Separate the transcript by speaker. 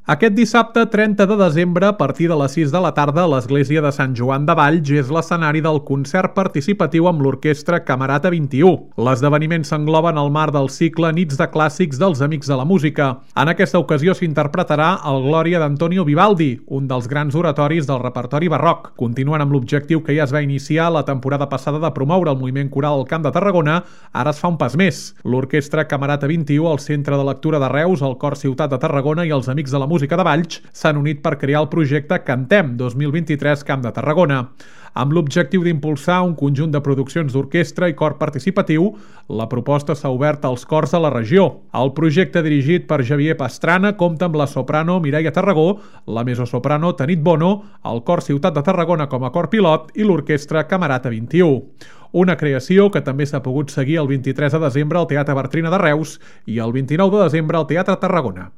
Speaker 1: Aquest dissabte 30 de desembre, a partir de les 6 de la tarda, l'església de Sant Joan de Valls és l'escenari del concert participatiu amb l'orquestra Camerata 21. L'esdeveniment s'engloba en el marc del cicle Nits de Clàssics dels Amics de la Música. En aquesta ocasió s'interpretarà el Glòria d'Antonio Vivaldi, un dels grans oratoris del repertori barroc. Continuant amb l'objectiu que ja es va iniciar la temporada passada de promoure el moviment coral al Camp de Tarragona, ara es fa un pas més. L'orquestra Camerata 21, el Centre de Lectura de Reus, el Cor Ciutat de Tarragona i els Amics de la Música de Valls s'han unit per crear el projecte Cantem 2023 Camp de Tarragona. Amb l'objectiu d'impulsar un conjunt de produccions d'orquestra i cor participatiu, la proposta s'ha obert als cors de la regió. El projecte dirigit per Javier Pastrana compta amb la soprano Mireia Tarragó, la mezzosoprano Tanit Bono, el Cor Ciutat de Tarragona com a cor pilot i l'orquestra Camerata 21. Una creació que també s'ha pogut seguir el 23 de desembre al Teatre Bartrina de Reus i el 29 de desembre al Teatre Tarragona.